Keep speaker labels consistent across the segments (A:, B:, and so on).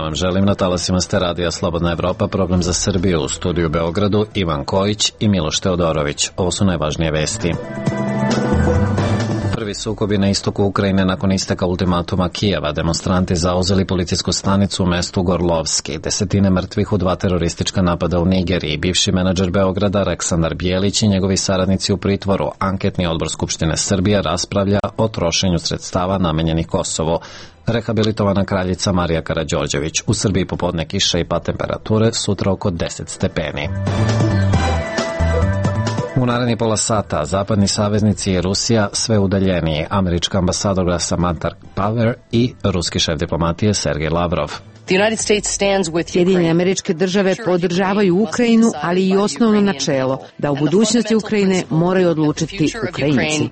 A: vam želim na talasima ste Radija Slobodna Evropa, program za Srbiju, u studiju u Beogradu Ivan Kojić i Miloš Teodorović. Ovo su najvažnije vesti. Prvi sukobi na istoku Ukrajine nakon isteka ultimatuma Kijeva. Demonstranti zauzeli policijsku stanicu u mestu Gorlovski. Desetine mrtvih u 2 teroristička napada u Nigeriji. Bivši menadžer Beograda Aleksandar Bijelić i njegovi saradnici u pritvoru. Anketni odbor Skupštine Srbije raspravlja o trošenju sredstava namenjenih Kosovu. Rehabilitovana kraljica Marija Karađorđević. U Srbiji popodne kiša i pad temperature, sutra oko 10 stepeni. U narednih pola sata zapadni saveznici i Rusija sve udaljeniji. Američka ambasadorka Samantha Power i ruski šef diplomatije Sergej Lavrov.
B: Sjedinjene Američke Države podržavaju Ukrajinu, ali i osnovno načelo da u budućnosti Ukrajine moraju odlučiti Ukrajinci.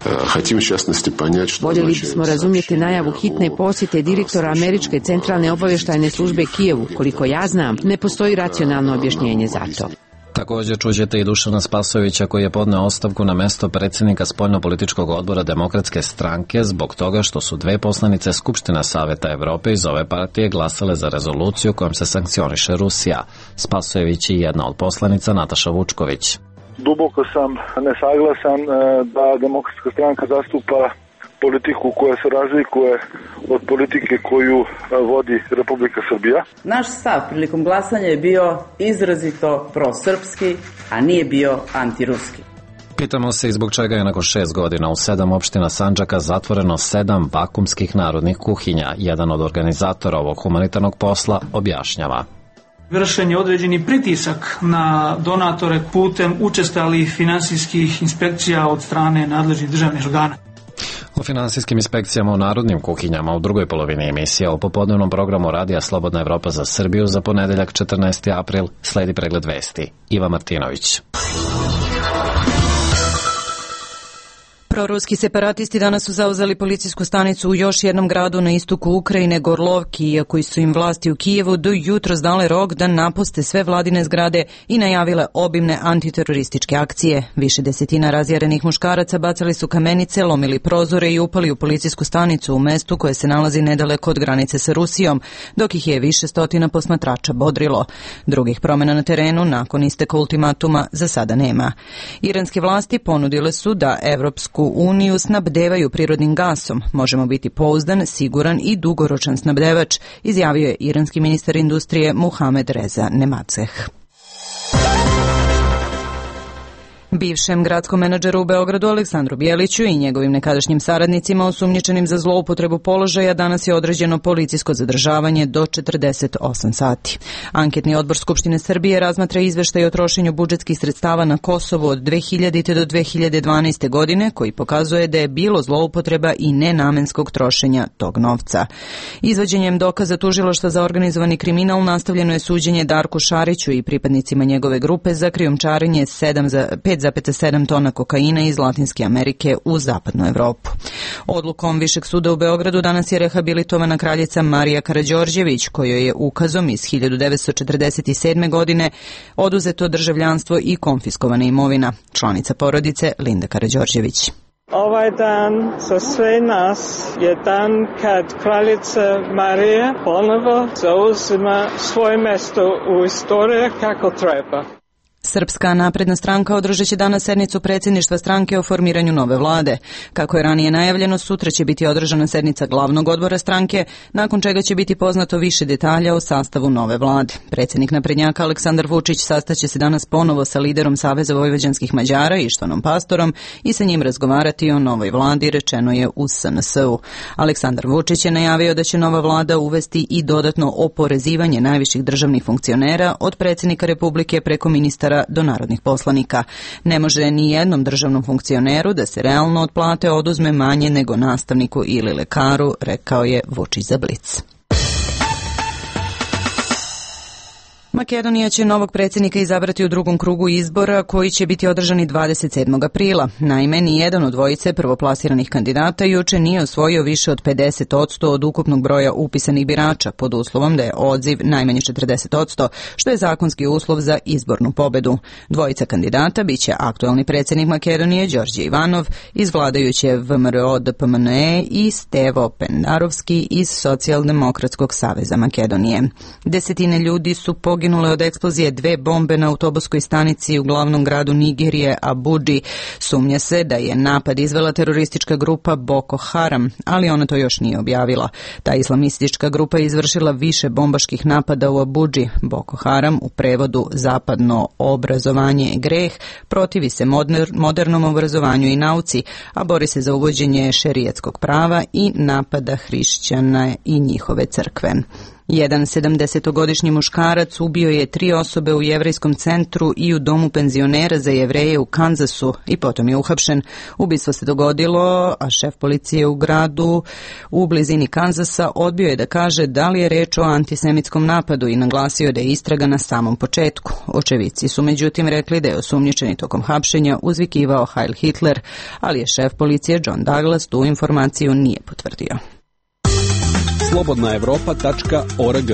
B: Voljeli bismo razumjeti najavu hitne posjete direktora Američke centralne obavještajne službe Kijevu. Koliko ja znam, ne postoji racionalno objašnjenje za to.
A: Također čućete i Dušana Spasojevića koji je podneo ostavku na mesto predsjednika spoljnopolitičkog odbora Demokratske stranke zbog toga što su 2 poslanice Skupština Saveta Evrope iz ove partije glasale za rezoluciju kojom se sankcioniše Rusija. Spasojević je jedna od poslanica Nataša Vučković.
C: Duboko sam nesaglasan da Demokratska stranka zastupa politiku koja se razlikuje od politike koju vodi Republika Srbija.
D: Naš stav prilikom glasanja je bio izrazito prosrpski, a nije bio antiruski.
A: Pitamo se i zbog čega je nakon 6 godina u 7 opština Sandžaka zatvoreno 7 vakumskih narodnih kuhinja. Jedan od organizatora ovog humanitarnog posla objašnjava.
E: Vršen je određeni pritisak na donatore putem učestalih finansijskih inspekcija od strane nadležnih državnih organa.
A: O finansijskim inspekcijama u narodnim kuhinjama u drugoj polovini emisije o popodnevnom programu Radija Slobodna Evropa za Srbiju za ponedeljak 14. april sledi pregled vesti. Iva Martinović.
F: Proruski separatisti danas su zauzeli policijsku stanicu u još jednom gradu na istoku Ukrajine, Gorlovki, iako su im vlasti u Kijevu do jutros dale rok da napuste sve vladine zgrade i najavile obimne antiterorističke akcije. Više desetina razjarenih muškaraca bacali su kamenice, lomili prozore i upali u policijsku stanicu u mestu koje se nalazi nedaleko od granice sa Rusijom, dok ih je više stotina posmatrača bodrilo. Drugih promjena na terenu nakon isteka ultimatuma za sada nema. Iranske vlasti ponudile su da Evropsku uniju snabdevaju prirodnim gasom. Možemo biti pouzdan, siguran i dugoročan snabdevač, izjavio je iranski ministar industrije Muhamed Reza Nemateh. Bivšem gradskom menadžeru u Beogradu Aleksandru Bijeliću i njegovim nekadašnjim saradnicima osumnjičenim za zloupotrebu položaja danas je određeno policijsko zadržavanje do 48 sati. Anketni odbor Skupštine Srbije razmatra izveštaj o trošenju budžetskih sredstava na Kosovu od 2000. do 2012. godine koji pokazuje da je bilo zloupotreba i nenamenskog trošenja tog novca. Izvođenjem dokaza tužilaštva za organizovani kriminal nastavljeno je suđenje Darku Šariću i pripadnicima njegove grupe za krijumčarenje 5,7 tona kokaina iz Latinske Amerike u zapadnu Evropu. Odlukom Višeg suda u Beogradu danas je rehabilitovana kraljica Marija Karađorđević, kojoj je ukazom iz 1947. godine oduzeto državljanstvo i konfiskovana imovina. Članica porodice Linda Karađorđević.
G: Ovaj dan za sve nas je dan kad kraljica Marija ponovo zauzima svoje mjesto u istoriji kako treba.
F: Srpska napredna stranka održat će danas sednicu predsjedništva stranke o formiranju nove vlade. Kako je ranije najavljeno, sutra će biti održana sednica glavnog odbora stranke, nakon čega će biti poznato više detalja o sastavu nove vlade. Predsjednik naprednjaka Aleksandar Vučić sastaće se danas ponovo sa liderom Saveza vojvođanskih Mađara Ištvanom Pastorom i sa njim razgovarati o novoj vladi, rečeno je u SNS-u. Aleksandar Vučić je najavio da će nova vlada uvesti i dodatno oporezivanje najviših državnih funkcionera od predsjednika Republike preko ministara do narodnih poslanika. Ne može ni jednom državnom funkcioneru da se realno od plate oduzme manje nego nastavniku ili lekaru, rekao je Vučić za Blic. Makedonija će novog predsjednika izabrati u drugom krugu izbora koji će biti održani 27. aprila. Naime, nijedan od dvojice prvoplasiranih kandidata juče nije osvojio više od 50% od ukupnog broja upisanih birača, pod uslovom da je odziv najmanje 40%, što je zakonski uslov za izbornu pobedu. Dvojica kandidata biće aktualni predsjednik Makedonije Đorđe Ivanov iz vladajuće VMRO DPMNE i Stevo Pendarovski iz Socijaldemokratskog saveza Makedonije. Desetine ljudi su poginule od eksplozije 2 bombe na autobuskoj stanici u glavnom gradu Nigerije, Abudži. Sumnja se da je napad izvela teroristička grupa Boko Haram, ali ona to još nije objavila. Ta islamistička grupa je izvršila više bombaških napada u Abudži. Boko Haram, u prevodu zapadno obrazovanje je greh, protivi se modernom obrazovanju i nauci, a bori se za uvođenje šerijetskog prava i napada hrišćana i njihove crkve. Jedan 70-godišnji muškarac ubio je 3 osobe u jevrejskom centru i u domu penzionera za Jevreje u Kanzasu i potom je uhapšen. Ubistvo se dogodilo, a šef policije u gradu u blizini Kanzasa odbio je da kaže da li je reč o antisemitskom napadu i naglasio da je istraga na samom početku. Očevici su međutim rekli da je osumnjičeni tokom hapšenja uzvikivao Heil Hitler, ali je šef policije John Douglas tu informaciju nije potvrdio.
H: slobodnaevropa.org.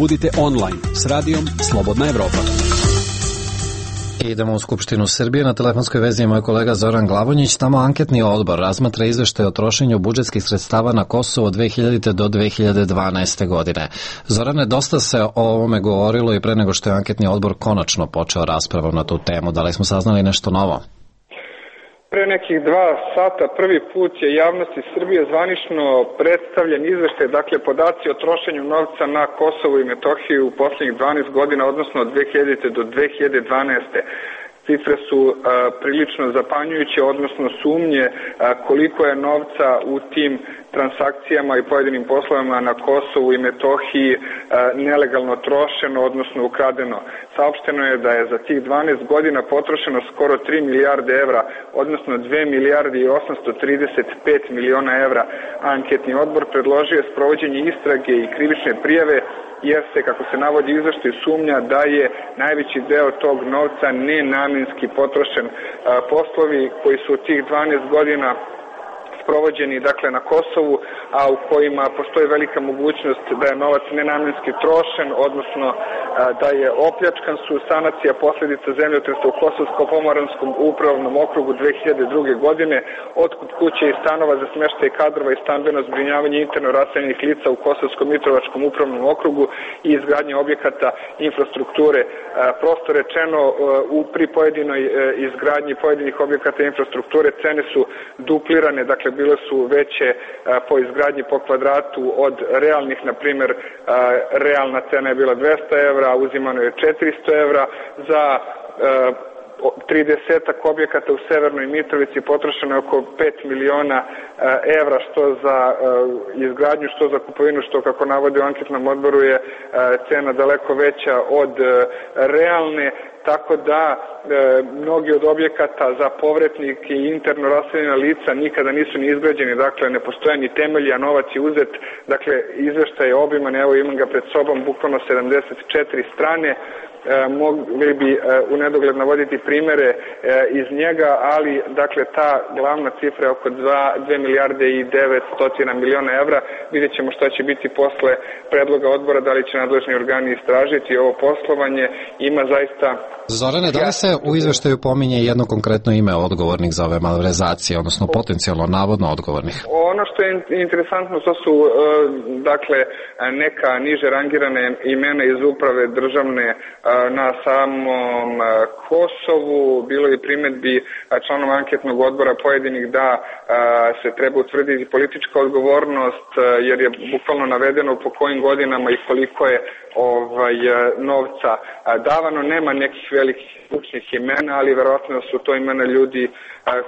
H: Budite online s radijom Slobodna Evropa.
A: Idemo u Skupštinu Srbije. Na telefonskoj vezi je moj kolega Zoran Glavonjić. Tamo anketni odbor razmatra izveštaj o trošenju budžetskih sredstava na Kosovo od 2000. do 2012. godine. Zorane, dosta se o ovome govorilo i pre nego što je anketni odbor konačno počeo raspravom na tu temu. Da li smo saznali nešto novo?
I: Pre nekih 2 sata prvi put je javnosti Srbije zvanično predstavljen izveštaj, dakle podaci o trošenju novca na Kosovu i Metohiju u posljednjih 12 godina, odnosno od 2000. do 2012. Cifre su prilično zapanjujuće, odnosno sumnje koliko je novca u tim transakcijama i pojedinim poslovima na Kosovu i Metohiji nelegalno trošeno, odnosno ukradeno. Saopšteno je da je za tih 12 godina potrošeno skoro 3 milijarde evra, odnosno 2 milijarde i 835 miliona evra. Anketni odbor predložio je sprovođenje istrage i krivične prijave, jer se, kako se navodi u izveštaju, sumnja da je najveći deo tog novca nenamenski potrošen. Poslovi koji su u tih 12 godina sprovođeni, dakle, na Kosovu, a u kojima postoji velika mogućnost da je novac nenamenski trošen, odnosno da je opljačkan, su sanacija posljedica zemljotresa u Kosovsko-pomoranskom upravnom okrugu 2002. godine, otkup kuće i stanova za smještaj kadrova i stambeno zbrinjavanje interno raseljenih lica u Kosovsko-Mitrovačkom upravnom okrugu i izgradnje objekata infrastrukture. Prosto rečeno, pri pojedinoj izgradnji pojedinih objekata infrastrukture cene su duplirane, dakle bile su veće po izgradnji po kvadratu od realnih, na primjer realna cena je bila 200 evra, a uzimano je 400 evra. Za 30 objekata u Severnoj Mitrovici potrošeno je oko 5 miliona evra, što za izgradnju, što za kupovinu, što, kako navodi u anketnom odboru, je cena daleko veća od realne. Tako da mnogi od objekata za povratnike i interno raseljena lica nikada nisu ni izgrađeni, dakle ne postoje ni temelji, a novac je uzet. Dakle, izveštaj je obiman, evo imam ga pred sobom, bukvalno 74 strane. Mogli bi u nedogled navoditi primere iz njega, ali dakle ta glavna cifra je oko 2 milijarde i 900 miliona evra. Vidjet ćemo šta će biti posle predloga odbora, da li će nadležni organi istražiti ovo poslovanje. Ima zaista...
A: Zorane, da li se u izveštaju pominje jedno konkretno ime odgovornih za ove malverzacije, odnosno potencijalno navodno odgovornih?
I: Ono što je interesantno, to su dakle neka niže rangirane imena iz uprave državne na samom Kosovu. Bilo je primjedbi članova anketnog odbora pojedinih da se treba utvrditi politička odgovornost, jer je bukvalno navedeno po kojim godinama i koliko je novca davano. Nema nekih velikih stručnih imena, ali verovatno su to imena ljudi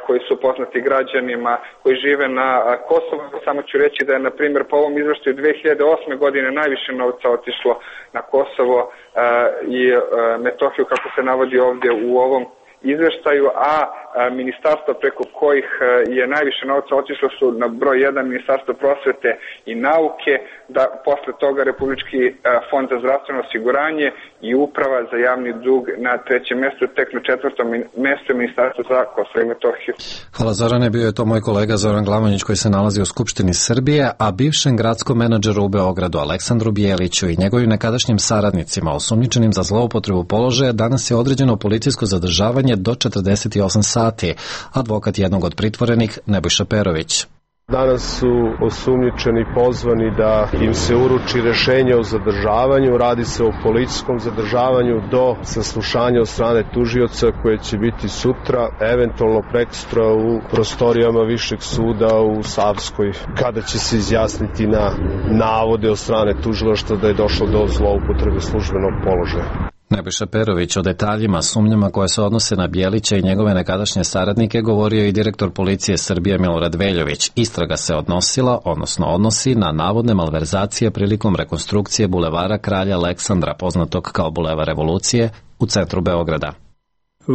I: koji su poznati građanima koji žive na Kosovu. Samo ću reći da je, na primjer, po ovom izveštaju 2008. godine najviše novca otišlo na Kosovo i Metohiju, kako se navodi ovdje u ovom izveštaju, a ministarstva preko kojih je najviše novca otišlo su na broj 1 Ministarstvo prosvete i nauke, da posle toga Republički fond za zdravstveno osiguranje i Uprava za javni dug na 3. mestu, tek na 4. mestu Ministarstvo za Kosovo i Metohiju.
A: Hvala Zorane, bio je to moj kolega Zoran Glamonjić koji se nalazi u Skupštini Srbije, a bivšem gradskom menadžeru u Beogradu Aleksandru Bijeliću i njegovim nekadašnjim saradnicima osumnjičenim za zloupotrebu položaja danas je određeno policijsko zadržavanje do 48 sati. Advokat jednog od pritvorenih, Nebojša Perović.
J: Danas su osumnjičeni pozvani da im se uruči rešenje o zadržavanju. Radi se o policijskom zadržavanju do saslušanja od strane tužioca koje će biti sutra, eventualno prekosutra u prostorijama Višeg suda u Savskoj, kada će se izjasniti na navode od strane tužilaštva da je došlo do zloupotrebe službenog položaja.
A: Nebojša Perović o detaljima, sumnjama koje se odnose na Bijelića i njegove nekadašnje saradnike govorio i direktor policije Srbije Milorad Veljović. Istraga se odnosi na navodne malverzacije prilikom rekonstrukcije bulevara Kralja Aleksandra, poznatog kao Bulevar Revolucije, u centru Beograda.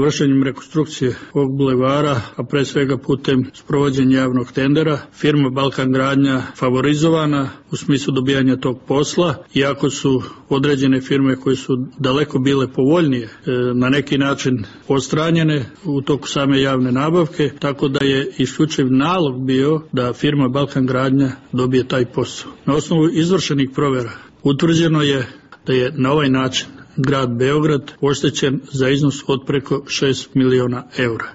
K: Vršenjem rekonstrukcije ovog bulevara, a pre svega putem sprovođenja javnog tendera, firma Balkan Gradnja favorizovana u smislu dobijanja tog posla, iako su određene firme koje su daleko bile povoljnije na neki način odstranjene u toku same javne nabavke, tako da je isključiv nalog bio da firma Balkan Gradnja dobije taj posao. Na osnovu izvršenih provera utvrđeno je da je na ovaj način grad Beograd oštećen za iznos od preko 6 miliona eura.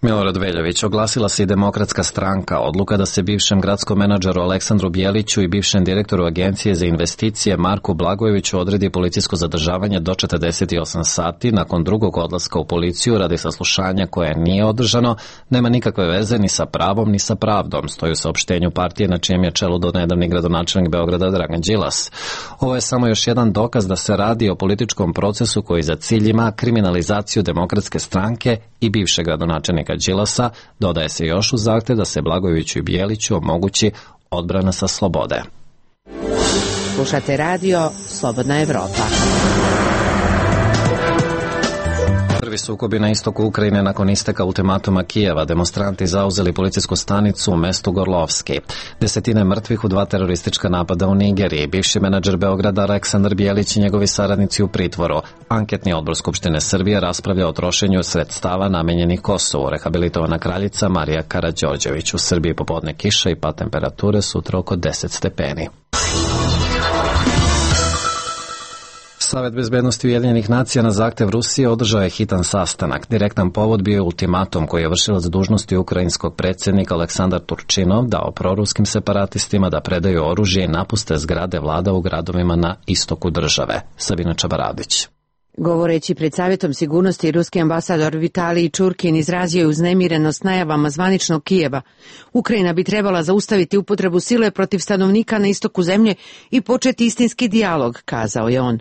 A: Milorad Veljović, oglasila se i Demokratska stranka. Odluka da se bivšem gradskom menadžeru Aleksandru Bijeliću i bivšem direktoru Agencije za investicije Marku Blagojeviću odredi policijsko zadržavanje do 48 sati nakon drugog odlaska u policiju radi saslušanja koje nije održano, nema nikakve veze ni sa pravom ni sa pravdom, stoji u saopštenju partije na čijem je čelu donedavni gradonačelnik Beograda Dragan Đilas. Ovo je samo još jedan dokaz da se radi o političkom procesu koji za cilj ima kriminalizaciju Demokratske stranke i bivšeg gradonačelnika Đilasa, dodaje se još u zahtev da se Blagojeviću i Bijeliću omogući odbrana sa slobode.
B: Slušate radio Slobodna Evropa.
A: Prvi sukobi na istoku Ukrajine nakon isteka ultimatuma Kijeva, demonstranti zauzeli policijsku stanicu u mestu Gorlovski. Desetine mrtvih u 2 teroristička napada u Nigeriji. Bivši menadžer Beograda Aleksandar Bijelić i njegovi saradnici u pritvoru. Anketni odbor Skupštine Srbije raspravlja o trošenju sredstava namenjenih Kosovu. Rehabilitovana kraljica Marija Karađorđević. U Srbiji popodne kiša i pad temperature, sutra oko 10 stepeni. Savet bezbednosti Ujedinjenih nacija na zahtev Rusije održao je hitan sastanak. Direktan povod bio je ultimatum koji je vršilac dužnosti ukrajinskog predsjednika Aleksandar Turčinov dao proruskim separatistima da predaju oružje i napuste zgrade vlada u gradovima na istoku države. Sabina Čabaradić.
B: Govoreći pred Savjetom sigurnosti, ruski ambasador Vitalij Čurkin izrazio je uznemirenost najavama zvaničnog Kijeva. Ukrajina bi trebala zaustaviti upotrebu sile protiv stanovnika na istoku zemlje i početi istinski dijalog, kazao je on.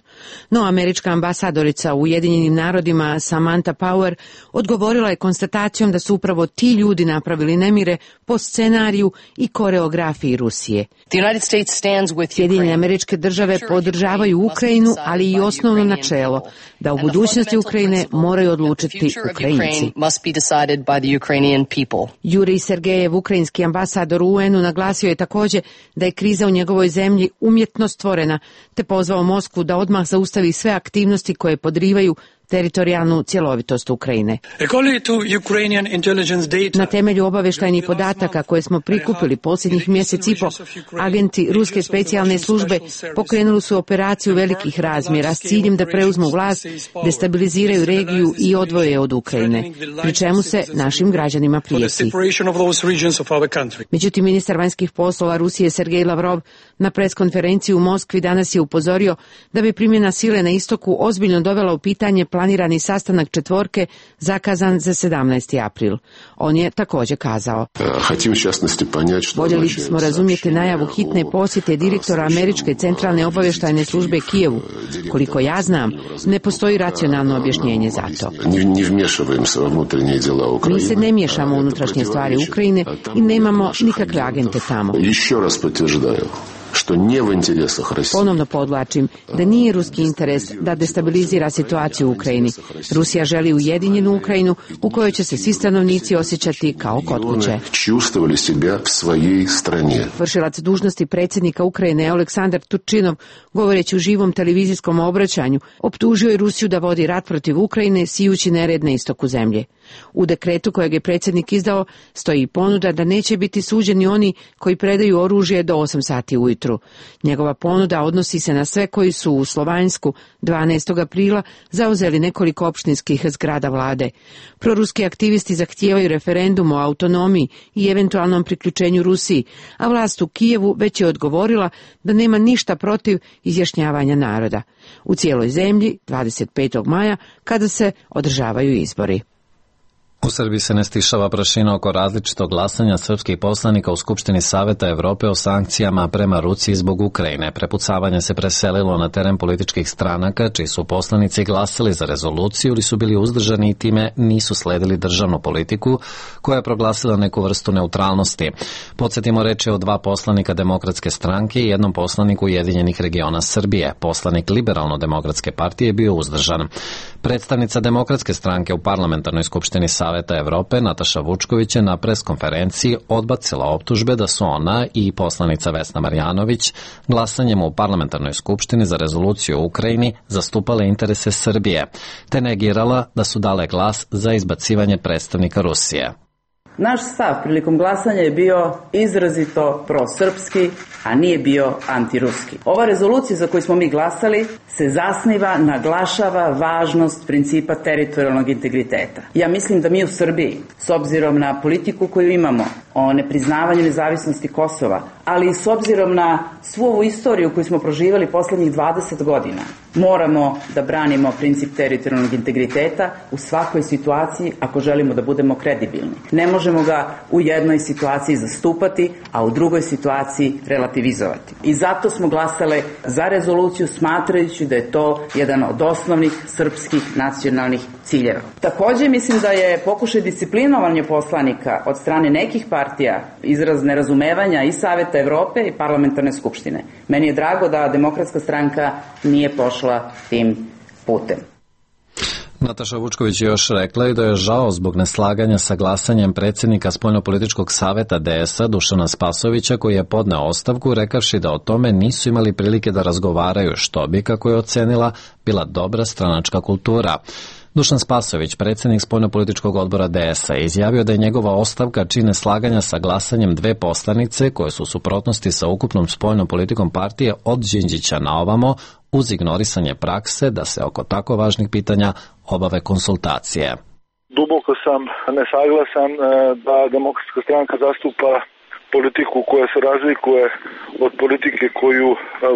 B: No američka ambasadorica u Ujedinjenim narodima Samantha Power odgovorila je konstatacijom da su upravo ti ljudi napravili nemire po scenariju i koreografiji Rusije. Sjedinjene Američke Države podržavaju Ukrajinu, ali i osnovno načelo da u budućnosti Ukrajine moraju odlučiti Ukrajinci. Jurij Sergejev, ukrajinski ambasador u UN-u, naglasio je također da je kriza u njegovoj zemlji umjetno stvorena, te pozvao Moskvu da odmah zaustavi sve aktivnosti koje podrivaju teritorijalnu cjelovitost Ukrajine. Na temelju obavještajnih podataka koje smo prikupili posljednjih mjesec i po, agenti ruske specijalne službe pokrenuli su operaciju velikih razmjera s ciljem da preuzmu vlast, destabiliziraju regiju i odvoje od Ukrajine, pri čemu se našim građanima prijeti. Međutim, ministar vanjskih poslova Rusije Sergej Lavrov na preskonferenciji u Moskvi danas je upozorio da bi primjena sile na istoku ozbiljno dovela u pitanje planirani sastanak četvorke zakazan za 17. april. On je također kazao: voljeli bismo razumjeti najavu hitne posjete direktora Američke centralne obavještajne službe Kijevu. Koliko ja znam, ne postoji racionalno objašnjenje za to. Mi se ne miješamo u unutrašnje stvari Ukrajine i nemamo nikakve agente tamo. Ponovno podvlačim da nije ruski interes da destabilizira situaciju u Ukrajini. Rusija želi ujedinjenu Ukrajinu u kojoj će se svi stanovnici osjećati kao kod kuće. Vršilac dužnosti predsjednika Ukrajine Aleksandar Turčinov, govoreći u živom televizijskom obraćanju, optužio je Rusiju da vodi rat protiv Ukrajine sijući nered na istoku zemlje. U dekretu kojeg je predsjednik izdao stoji ponuda da neće biti suđeni oni koji predaju oružje do 8 sati ujutru. Njegova ponuda odnosi se na sve koji su u Slovanjsku 12. aprila zauzeli nekoliko opštinskih zgrada vlade. Proruski aktivisti zahtijevaju referendum o autonomiji i eventualnom priključenju Rusiji, a vlast u Kijevu već je odgovorila da nema ništa protiv izjašnjavanja naroda. U cijeloj zemlji 25. maja kada se održavaju izbori.
A: U Srbiji se ne stišava prašina oko različitog glasanja srpskih poslanika u Skupštini Saveta Evrope o sankcijama prema Rusiji zbog Ukrajine. Prepucavanje se preselilo na teren političkih stranaka, čiji su poslanici glasali za rezoluciju ili su bili uzdržani i time nisu sledili državnu politiku, koja je proglasila neku vrstu neutralnosti. Podsjetimo, reč je o 2 poslanika Demokratske stranke i 1 poslaniku Ujedinjenih regiona Srbije. Poslanik Liberalno-demokratske partije je bio uzdržan. Predstavnica Demokratske stranke u Parlamentarnoj skupštini Saveta Evrope Nataša Vučković je na preskonferenciji odbacila optužbe da su ona i poslanica Vesna Marjanović glasanjem u Parlamentarnoj skupštini za rezoluciju u Ukrajini zastupale interese Srbije, te negirala da su dale glas za izbacivanje predstavnika Rusije.
D: Naš stav prilikom glasanja je bio izrazito prosrpski, a nije bio antiruski. Ova rezolucija za koju smo mi glasali se zasniva, naglašava važnost principa teritorijalnog integriteta. Ja mislim da mi u Srbiji, s obzirom na politiku koju imamo o nepriznavanju nezavisnosti Kosova, ali i s obzirom na svu ovu istoriju koju smo proživali poslednjih 20 godina, moramo da branimo princip teritorijalnog integriteta u svakoj situaciji ako želimo da budemo kredibilni. Ne možemo ga u jednoj situaciji zastupati, a u drugoj situaciji relativizovati. I zato smo glasale za rezoluciju smatrajući da je to jedan od osnovnih srpskih nacionalnih ciljeva. Takođe mislim da je pokušaj disciplinovanja poslanika od strane nekih partija izraz nerazumevanja i Saveta Evrope i Parlamentarne skupštine. Meni je drago da Demokratska stranka nije pošla tim putem.
A: Nataša Vučković je još rekla i da je žao zbog neslaganja sa glasanjem predsjednika Spoljnopolitičkog saveta DS-a Dušana Spasovića, koji je podneo ostavku rekavši da o tome nisu imali prilike da razgovaraju, što bi, kako je ocenila, bila dobra stranačka kultura. Dušan Spasović, predsjednik Spoljnopolitičkog odbora DS-a, je izjavio da je njegova ostavka čine slaganja sa glasanjem 2 poslanice koje su u suprotnosti sa ukupnom spoljnom politikom partije od Đinđića na ovamo, uz ignorisanje prakse da se oko tako važnih pitanja obave konsultacije.
C: Duboko sam nesaglasan da Demokratska stranka zastupa politiku koja se razlikuje od politike koju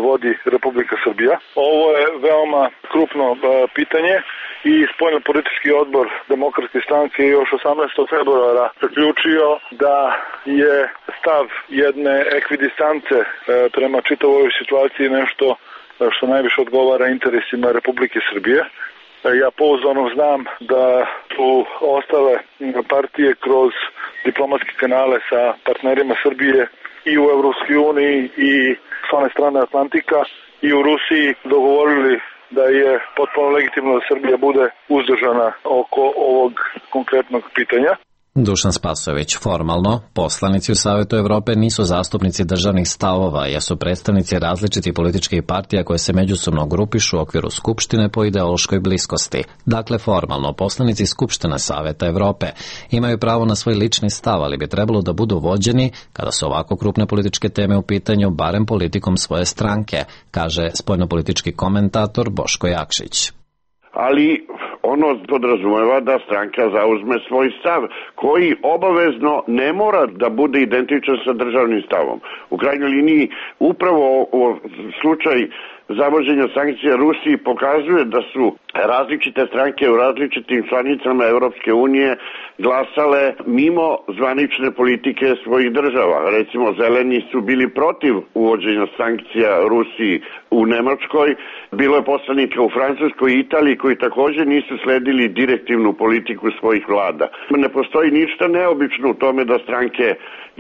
C: vodi Republika Srbija. Ovo je veoma krupno pitanje i spoljnopolitički odbor Demokratske stranke još 18. februara zaključio da je stav jedne ekvidistance prema čitavoj situaciji nešto što najviše odgovara interesima Republike Srbije. Ja pouzdano znam da su ostale partije kroz diplomatske kanale sa partnerima Srbije i u Evropskoj uniji i s one strane Atlantika i u Rusiji dogovorili da je potpuno legitimno da Srbija bude uzdržana oko ovog konkretnog pitanja.
A: Dušan Spasović, formalno, poslanici u Savetu Evrope nisu zastupnici državnih stavova, jer su predstavnici različitih političkih partija koje se međusobno grupišu u okviru Skupštine po ideološkoj bliskosti. Dakle, formalno, poslanici Skupštine Saveta Evrope imaju pravo na svoj lični stav, ali bi trebalo da budu vođeni, kada su ovako krupne političke teme u pitanju, barem politikom svoje stranke, kaže spoljnopolitički komentator Boško Jakšić.
L: Ali ono podrazumeva da stranka zauzme svoj stav, koji obavezno ne mora da bude identičan sa državnim stavom. U krajnjoj liniji, upravo slučaj zavođenja sankcija Rusiji pokazuje da su različite stranke u različitim članicama Evropske unije glasale mimo zvanične politike svojih država. Recimo, zeleni su bili protiv uvođenja sankcija Rusiji u Nemačkoj, bilo je poslanika u Francuskoj i Italiji koji također nisu sledili direktivnu politiku svojih vlada. Ne postoji ništa neobično u tome da stranke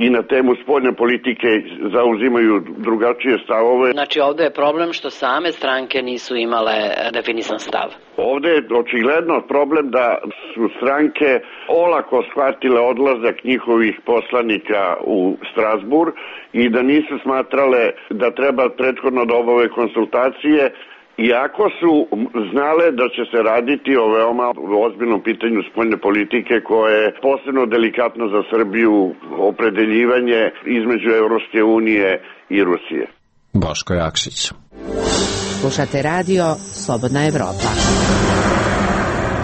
L: i na temu spoljne politike zauzimaju drugačije stavove.
M: Znači ovdje je problem što same stranke nisu imale definisan stav.
L: Ovdje je očigledno problem da su stranke olako shvatile odlazak njihovih poslanika u Strasbourg i da nisu smatrale da treba prethodno da obave konsultacije, iako su znale da će se raditi o veoma ozbiljnom pitanju spoljne politike koje je posebno delikatno za Srbiju, opredeljivanje između Evropske unije i Rusije.
A: Boško Jakšić.
B: Slušate radio Slobodna Evropa.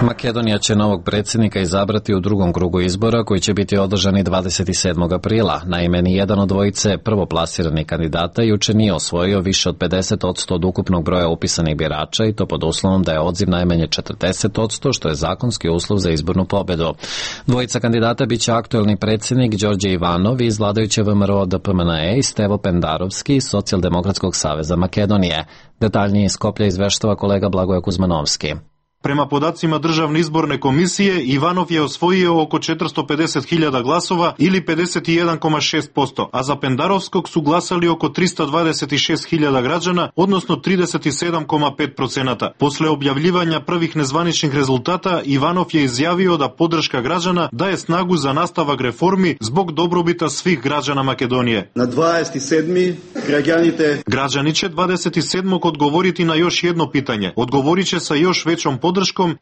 A: Makedonija će novog predsjednika izabrati u drugom krugu izbora koji će biti održani 27. aprila. Naime, ni jedan od dvojice prvoplasiranih kandidata juče nije osvojio više od 50% od ukupnog broja upisanih birača i to pod uslovom da je odziv najmanje 40%, što je zakonski uslov za izbornu pobedu. Dvojica kandidata biće aktuelni predsjednik Đorđe Ivanov iz vladajuće VMRO DPMNE i Stevo Pendarovski iz Socijaldemokratskog saveza Makedonije. Detaljnije iz Skoplja izveštava kolega Blagoje Kuzmanovski.
N: Prema podacima Državne izborne komisije, Ivanov je osvojio oko 450.000 glasova ili 51,6%, a za Pendarovskog su glasali oko 326.000 građana, odnosno 37,5%. Posle objavljivanja prvih nezvaničnih rezultata, Ivanov je izjavio da podrška građana daje snagu za nastavak reformi zbog dobrobita svih građana Makedonije.
O: Na 27.
N: Građani će 27. odgovoriti na još jedno pitanje. Odgovorit će sa još većom podrškom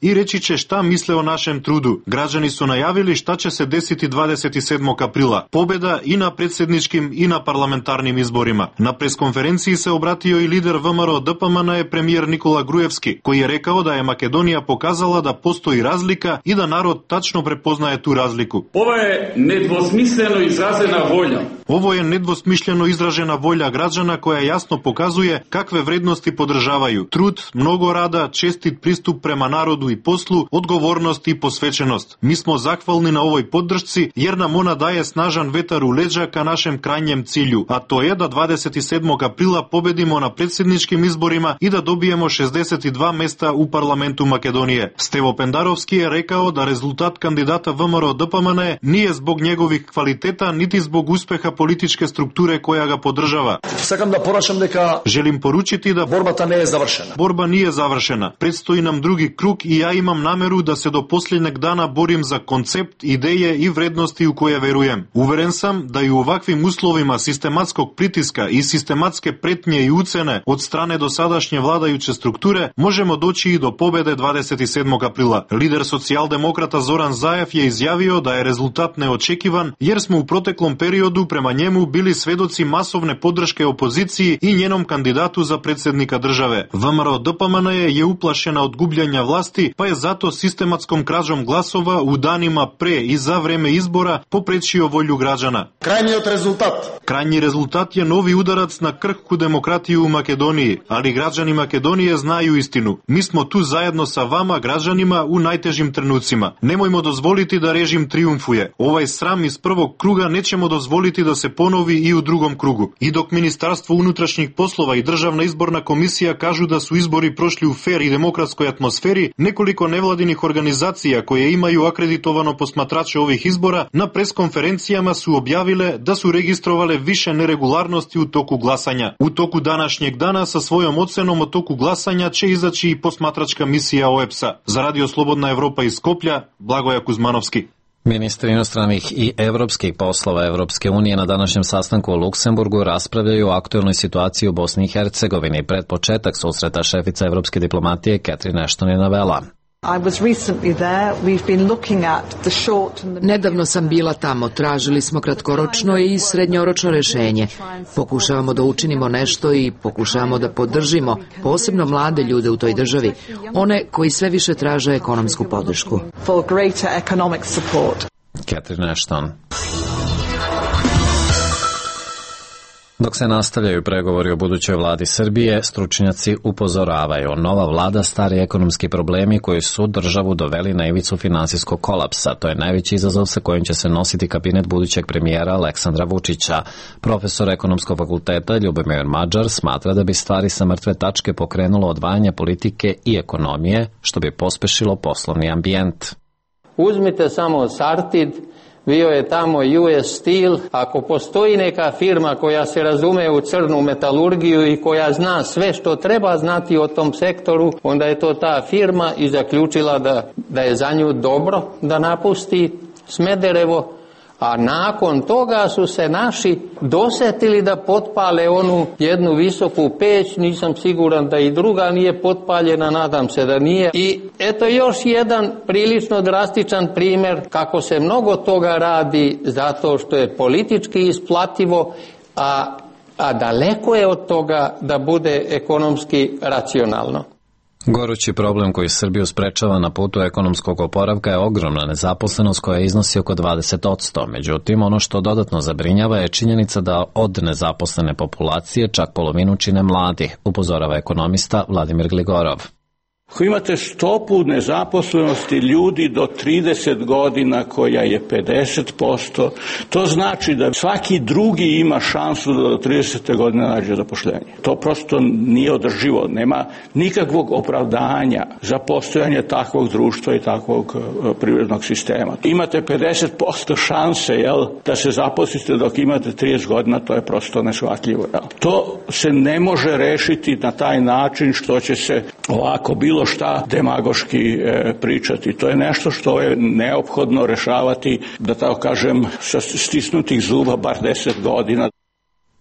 N: i reći će šta misle o našem trudu. Građani su najavili šta će se desiti 27. aprila. Pobeda i na predsjedničkim i na parlamentarnim izborima. Na preskonferenciji se obratio i lider VMRO DPMNE premijer Nikola Grujevski, koji je rekao da je Makedonija pokazala da postoji razlika i da narod tačno prepoznaje tu razliku.
P: Ovo je nedvosmisleno izražena volja.
N: Ovo je nedvosmišljeno izražena volja građana koja jasno pokazuje kakve vrednosti podržavaju. Trud, mnogo rada, čestit pristup prema narodu i poslu, odgovornost i posvećenost. Mi smo zahvalni na ovoj podršci jer nam ona daje snažan vetar u leđa ka našem krajnjem cilju, a to je da 27. aprila pobedimo na predsjedničkim izborima i da dobijemo 62 mesta u parlamentu Makedonije. Stevo Pendarovski je rekao da rezultat kandidata VMRO DPMNE nije zbog njegovih kvaliteta niti zbog uspeha političke strukture koja ga podržava. Želim poručiti da borba nije završena. Predstoji nam drugi krug i ja imam nameru da se do posljednjeg dana borim za koncept, ideje i vrednosti u koje verujem. Uveren sam da i u ovakvim uslovima sistematskog pritiska i sistematske pretnje i ucene od strane dosadašnje vladajuće strukture možemo doći i do pobede 27. aprila. Lider socijaldemokrata Zoran Zaev je izjavio da je rezultat neočekivan jer smo u proteklom periodu prema njemu bili svedoci masovne podrške opoziciji i njenom kandidatu za predsjednika države. VMRO DPMNE je uplašena od gubljenja vlasti, pa je zato sistematskom krađom glasova u danima pre i za vreme izbora poprečio volju građana. Krajnji rezultat je novi udarac na krhku demokratiju u Makedoniji, ali građani Makedonije znaju istinu. Mi smo tu zajedno sa vama, građanima, u najtežim trenucima. Nemojmo dozvoliti da režim triumfuje. Ovaj sram iz prvog kruga nećemo dozvoliti da se ponovi i u drugom krugu. I dok Ministarstvo unutrašnjih poslova i Državna izborna komisija kažu da su izbori prošli u fer i demokratskoj atmosferi, nekoliko nevladinih organizacija koje imaju akreditovano posmatrače ovih izbora na preskonferencijama su objavile da su registrovale više neregularnosti u toku glasanja. U toku današnjeg dana sa svojom ocenom o toku glasanja će izaći i posmatračka misija OEBS-a. Za Radio Slobodna Evropa iz Skoplja, Blagoje Kuzmanovski.
A: Ministri inostranih i evropskih poslova Evropske unije na današnjem sastanku u Luksemburgu raspravljaju o aktuelnoj situaciji u Bosni i Hercegovini. Pred početak susreta šefica evropske diplomatije Catherine Ashton je navela:
B: Nedavno sam bila tamo, tražili smo kratkoročno i srednjoročno rešenje. Pokušavamo da učinimo nešto i pokušavamo da podržimo posebno mlade ljude u toj državi, one koji sve više traže ekonomsku podršku.
A: Catherine Ashton. Dok se nastavljaju pregovori o budućoj vladi Srbije, stručnjaci upozoravaju. Nova vlada stari ekonomski problemi koji su državu doveli na ivicu finansijskog kolapsa. To je najveći izazov sa kojim će se nositi kabinet budućeg premijera Aleksandra Vučića. Profesor ekonomskog fakulteta Ljubomir Mađar smatra da bi stvari sa mrtve tačke pokrenulo odvajanje politike i ekonomije, što bi pospešilo poslovni ambijent.
O: Uzmite samo Sartid, bio je tamo US Steel. Ako postoji neka firma koja se razume u crnu metalurgiju i koja zna sve što treba znati o tom sektoru, onda je to ta firma i zaključila da je za nju dobro da napusti Smederevo, a nakon toga su se naši dosetili da potpale onu jednu visoku peć, nisam siguran da i druga nije potpaljena, nadam se da nije. I eto još jedan prilično drastičan primjer kako se mnogo toga radi zato što je politički isplativo, a daleko je od toga da bude ekonomski racionalno.
A: Gorući problem koji Srbiju sprečava na putu ekonomskog oporavka je ogromna nezaposlenost koja iznosi oko 20%. Međutim, ono što dodatno zabrinjava je činjenica da od nezaposlene populacije čak polovinu čine mladi, upozorava ekonomista Vladimir Gligorov.
Q: Ako imate stopu nezaposlenosti ljudi do 30 godina koja je 50%, to znači da svaki drugi ima šansu da do 30. godine nađe zapošljenje. To prosto nije održivo, nema nikakvog opravdanja za postojanje takvog društva i takvog privrednog sistema. Imate 50% šanse da se zaposlite dok imate 30 godina, to je prosto neshvatljivo. To se ne može rešiti na taj način što će se ovako bilo šta demagoški pričati. To je nešto što je neophodno rešavati, da tako kažem, sa stisnutih zuba bar 10 godina.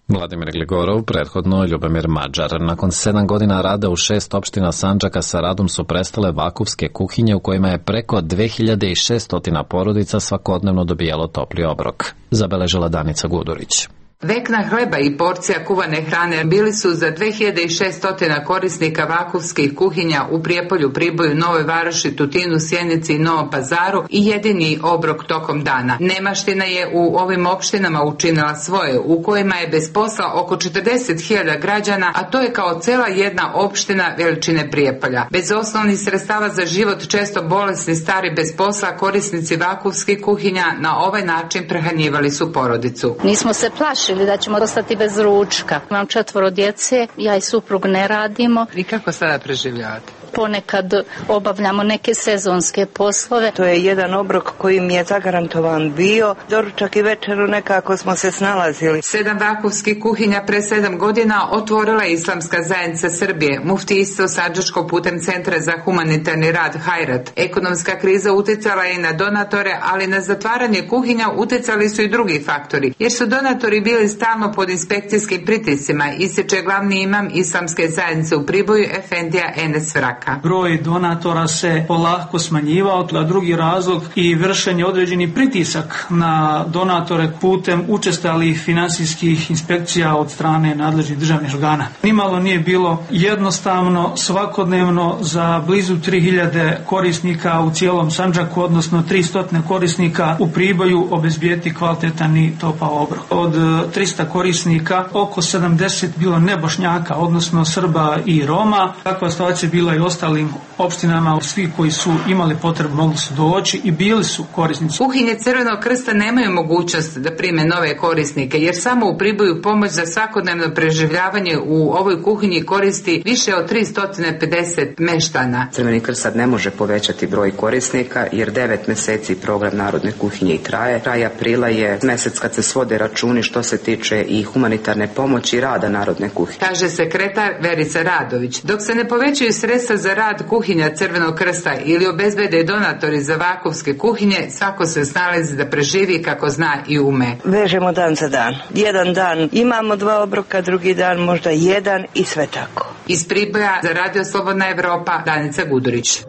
A: Vladimir Gligorov, prethodno Ljubomir Mađar. Nakon 7 godina rada u 6 opština Sandžaka sa radom su prestale vakufske kuhinje u kojima je preko 2600 porodica svakodnevno dobijalo topli obrok, zabeležila Danica Gudurić.
R: Vekna hleba i porcija kuvane hrane bili su za 2600 korisnika vakufskih kuhinja u Prijepolju, Priboju, Novoj Varoši, Tutinu, Sjenici i Novom Pazaru i jedini obrok tokom dana. Nemaština je u ovim opštinama učinila svoje, u kojima je bez posla oko 40.000 građana, a to je kao cela jedna opština veličine Prijepolja. Bez osnovnih sredstava za život, često bolesni, stari, bez posla, korisnici vakufskih kuhinja na ovaj način prehranjivali su porodicu.
S: Nismo se plašili da ćemo ostati bez ručka. Imam 4 djece, ja i suprug ne radimo.
R: I kako sada preživljavate?
S: Ponekad obavljamo neke sezonske poslove.
T: To je jedan obrok koji mi je zagarantovan bio. Doručak i večeru nekako smo se snalazili.
R: 7 vakufskih kuhinja pre 7 godina otvorila je Islamska zajednica Srbije, muftijstvo Sandžačko putem Centra za humanitarni rad Hajrat. Ekonomska kriza uticala je i na donatore, ali na zatvaranje kuhinja uticali su i drugi faktori, jer su donatori bili stalno pod inspekcijskim pritiscima, ističe glavni imam Islamske zajednice u Priboju, Efendija Enes Vrak.
E: Broj donatora se polako smanjivao, a drugi razlog i vršenje određeni pritisak na donatore putem učestalih finansijskih inspekcija od strane nadležnih državnih organa. Nimalo nije bilo jednostavno svakodnevno za blizu 3000 korisnika u cijelom Sandžaku, odnosno 300 korisnika u Priboju obezbijeti kvalitetan i topao obrok. Od 300 korisnika oko 70 bilo nebošnjaka, odnosno Srba i Roma. Takva situacija bila i ostalim opštinama, svi koji su imali potrebu mogli su doći i bili su korisnici.
R: Kuhinje Crvenog krsta nemaju mogućnost da prime nove korisnike, jer samo u Priboju pomoć za svakodnevno preživljavanje u ovoj kuhinji koristi više od 350 meštana.
U: Crveni krst sad ne može povećati broj korisnika, jer 9 meseci program Narodne kuhinje i traje. Kraj aprila je mesec kad se svode računi što se tiče i humanitarne pomoći i rada Narodne kuhinje.
R: Kaže sekretar Verica Radović. Dok se ne povećaju sredstva za rad kuhinja Crvenog krsta ili obezbede donatori za vakufske kuhinje, svako se snalazi da preživi kako zna i ume.
T: Vežemo dan za dan. Jedan dan imamo 2 obroka, drugi dan možda 1 i sve tako.
R: Iz Priboja za Radio Slobodna Evropa, Danica Gudurić.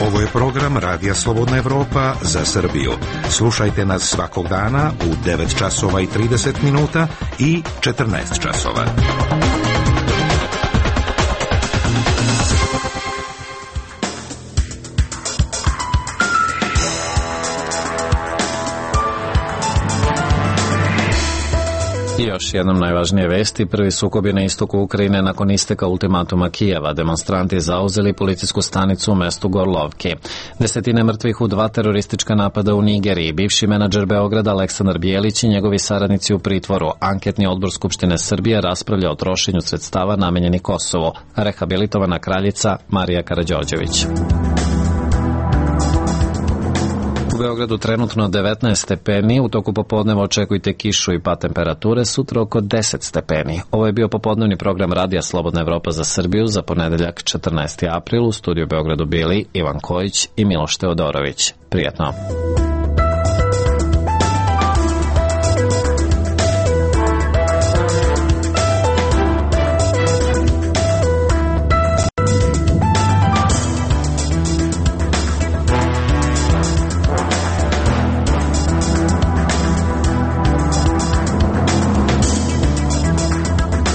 V: Ovo je program Radija Slobodna Evropa za Srbiju. Slušajte nas svakog dana u 9 časova i 30 minuta i 14 časova.
A: I još jednom najvažnije vesti. Prvi sukobi na istoku Ukrajine nakon isteka ultimatuma Kijeva. Demonstranti zauzeli policijsku stanicu u mestu Gorlovki. Desetine mrtvih u 2 teroristička napada u Nigeriji. Bivši menadžer Beograda Aleksandar Bijelić i njegovi saradnici u pritvoru. Anketni odbor Skupštine Srbije raspravlja o trošenju sredstava namenjenih Kosovu. Rehabilitovana kraljica Marija Karađorđević. U Beogradu trenutno 19 stepeni, u toku popodneva očekujte kišu i pad temperature, sutra oko 10 stepeni. Ovo je bio popodnevni program Radija Slobodna Evropa za Srbiju za ponedeljak 14. april. U studiju Beogradu bili Ivan Kojić i Miloš Teodorović. Prijetno.